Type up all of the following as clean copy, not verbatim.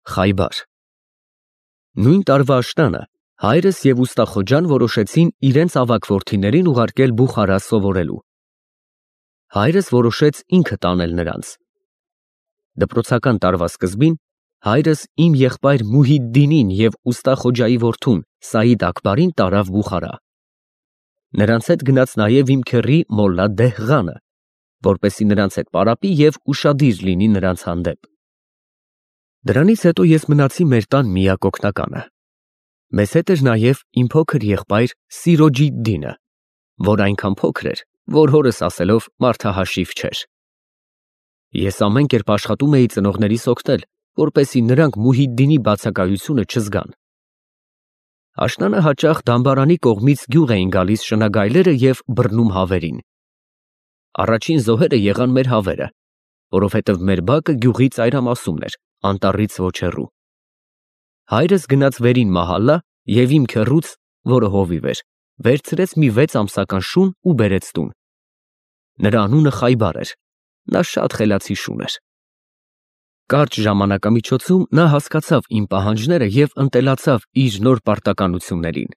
Խայբար։ Նույն տարվա աշնանը հայրս և ուստա Խոջան որոշեցին իրենց ավագ որդիներին ուղարկել Բուխարա սովորելու։ Հայրս որոշեց ինքը տանել նրանց։ Դպրոցական տարվա սկզբին հայրս իմ եղբայր Մուհիդդինին և ուստա Խոջայի որդուն Սաիդ Աքբարին տարավ Բուխարա։ Նրանց հետ գնաց նաև իմ քեռի Մոլլա Դեհղանը, որպեսզի նրանց հետ պարապի և ուշադիր լինի նրանց հանդեպ։ Դրանից հետո ես մնացի մեր տան միակ օգնականը։ Մեզ հետ էր նաև իմ փոքր եղբայր Սիրոջիդդինը, որ այնքան փոքր էր, որ հորս ասելով մարդահաշիվ չէր։ Ես ամեն կերպ աշխատում էի ծնողներիս օգնել, որպեսզի նրանք Մուհիդդինի բացակայությունը չզգան։ Աշնանը հաճախ դամբարանի կողմից գյուղ էին գալիս շնագայլերը և բռնում հավերին։ Առաջին զոհերը եղան մեր հավերը, որովհետև մեր բակը գյուղի ծայրամասումն էր, անտառից ոչ հեռու։ Հայրս գնաց վերին մահալա և իմ քեռուց, որը հովիվ էր, վերցրեց մի 6 ամսական շուն ու բերեց տուն։ Նրա անունը Խայբար էր, նա շատ խելացի շուն էր։ Կարճ ժամանակամիջոցում նա հասկացավ իմ պահանջները և ընտելացավ իր նոր պարտականություններին։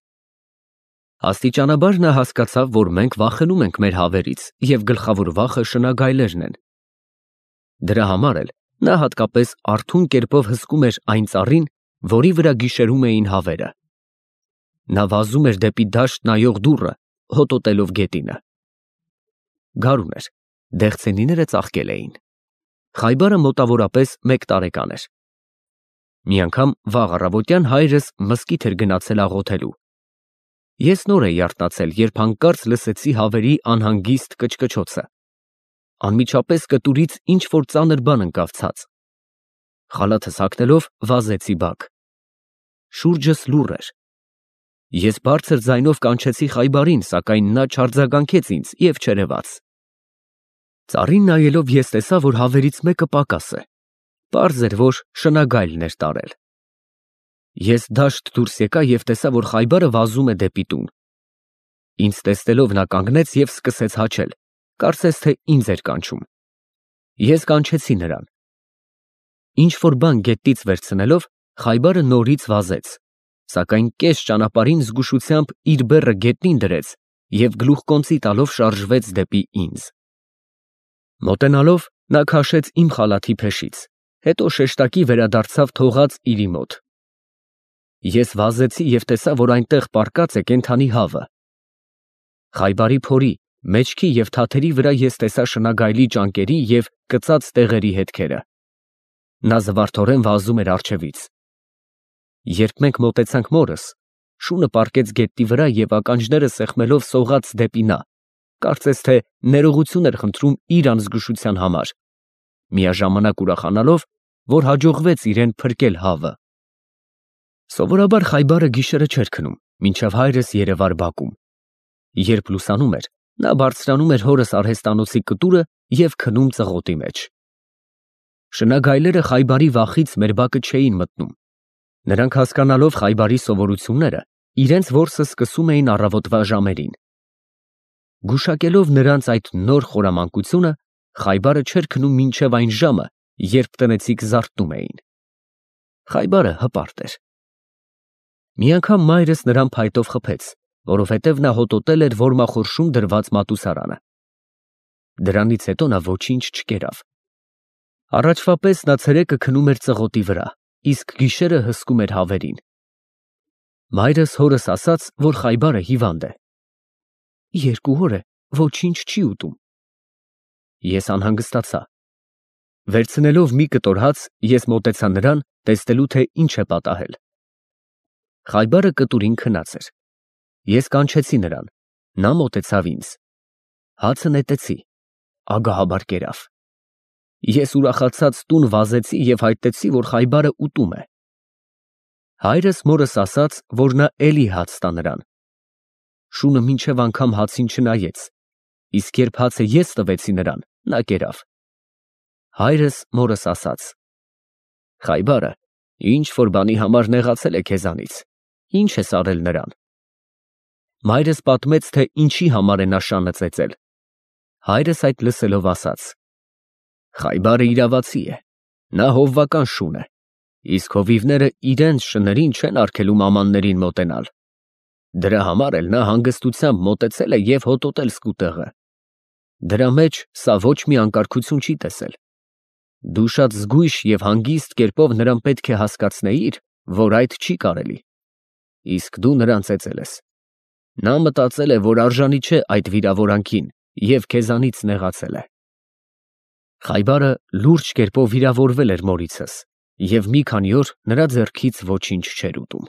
Աստիճանաբար նա հասկացավ, որ մենք վախենում ենք մեր հավերից և գլխավոր վախը շնագայլերն են։ Դրա համար էլ նա հատկապես արթուն կերպով հսկում էր այն ծառին, որի վրա գիշերում էին հավերը։ Նա վազում էր դեպի դաշտ նայող դուռը, հոտոտելով գետինը։ Գարուն էր, դեղցենիները ծաղկել էին։ Խայբարը մոտավորապես 1 տարեկան էր։ Մի անգամ վաղ առավոտյան հայրս մզկիթ էր գնացել աղոթելու։ Ես նոր էի արթնացել, երբ հանկարծ լսեցի հավերի անհանգիստ կչկչոցը։ Անմիջապես կտուրից ինչ-որ ծանր բան ընկավ ցած։ Խալաթս հագնելով վազեցի բակ։ Շուրջս լուռ էր։ Ես բարձր ձայնով կանչեցի Խայբարին, սակայն նա չարձագանքեց ինձ և չերևաց։ Ծառին նայելով ես տեսա, որ հավերից մեկը պակաս է։ Պարզ էր, որ շնագայլն էր տարել։ Ես դաշտ դուրս եկա և տեսա, որ Խայբարը վազում է դեպի տուն։ Ինձ տեսնելով նա կանգնեց և սկսեց հաչել, կարծես թե ինձ էր կանչում։ Ես կանչեցի նրան։ Ինչ-որ բան գետից վերցնելով, Խայբարը նորից վազեց, սակայն կես ճանապարհին զգուշությամբ իր բեռը գետնին դրեց և գլուխկոնծի տալով շարժվեց դեպի ինձ։ Մոտենալով նա քաշեց իմ խալաթի փեշից, հետո շեշտակի վերադարձավ թողած իրի մոտ։ Ես վազեցի և տեսա, որ այնտեղ պառկած է կենդանի հավը։ Խայբարի փորի, մեջքի և թաթերի վրա ես տեսա շնագայլի ճանկերի և կծած տեղերի հետքերը։ Նա զվարթորեն վազում էր առջևից։ Երբ մենք մոտեցանք մորս, շունը պառկեց գետնի վրա և ականջները սեղմելով սողաց դեպի նա, կարծես թե ներողություն էր խնդրում իր անզգուշության համար, միաժամանակ ուրախանալով, որ հաջողվեց իրեն փրկել հավը։ Սովորաբար Խայբարը գիշերը չէր քնում, մինչև հայրս երևար բակում։ Երբ լուսանում էր, նա բարձրանում էր հորս արհեստանոցի կտուրը և քնում ծղոտի մեջ։ Շնագայլերը Խայբարի վախից մեր բակը չէին մտնում։ Նրանք հասկանալով Խայբարի սովորությունները, իրենց որսը սկսում էին առավոտվա ժամերին։ Գուշակելով նրանց այդ նոր խորամանկությունը, Խայբարը չէր քնում մինչև այն ժամը, երբ տնեցիք զարթնում էին։ Խայբարը հպարտ էր։ Մի անգամ մայրս նրան փայտով խփեց, որովհետև նա հոտոտել էր որմախորշում դրված մատուցարանը։ Դրանից հետո նա ոչինչ չկերավ։ Առաջվա պես նա ցերեկը քնում էր ծղոտի վրա, իսկ գիշերը հսկում էր հավերին։ Մայրս հորս ասաց, որ Խայբարը հիվանդ է։ 2 օր է, ոչինչ չի ուտում։ Ես անհանգստացա։ Վերցնելով մի կտոր հաց, ես մոտեցա նրան, տեսնելու թե ինչ է պատահել։ Խայբարը կտուրին քնած էր։ Ես կանչեցի նրան, նա մոտեցավ ինձ։ Հացը նետեցի, ագահաբար կերավ։ Ես ուրախացած տուն վազեցի և հայտնեցի, որ Խայբարը ուտում է։ Հայրս մորս ասաց, որ նա էլի հաց տա նրան։ Շունը մինչև անգամ հացին չնայեց, իսկ երբ հացը ես տվեցի նրան, նա կերավ։ Հայրս մորս ասաց. Խայբարը ինչ-որ բանի համար նեղացել է քեզանից, ինչ ես արել նրան։ Մայրս պատմեց, թե ինչի համար է նա շանը ծեծել։ Հայրս այդ լսելով ասաց. Խայբարը իրավացի է, նա հովվական շուն է, իսկ հովիվները իրենց շներին չեն արգելում ամաններին մոտենալ։ Դրա համար էլ նա հանգստությամբ մոտեցել է և հոտոտել սկուտեղը։ Դրա մեջ սա ոչ մի անկարգություն չի տեսել։ Դու շատ զգույշ և հանգիստ կերպով նրան պետք է հասկացնեիր, որ այդ չի կարելի։ Իսկ դու նրան ծեծել ես։ Նա մտածել է, որ արժանի չէ այդ վիրավորանքին և քեզանից նեղացել է։ Խայբարը լուրջ կերպով վիրավորվել էր Մորիցս, և մի քանի օր նրա ձեռքից ոչինչ չէր ուտում։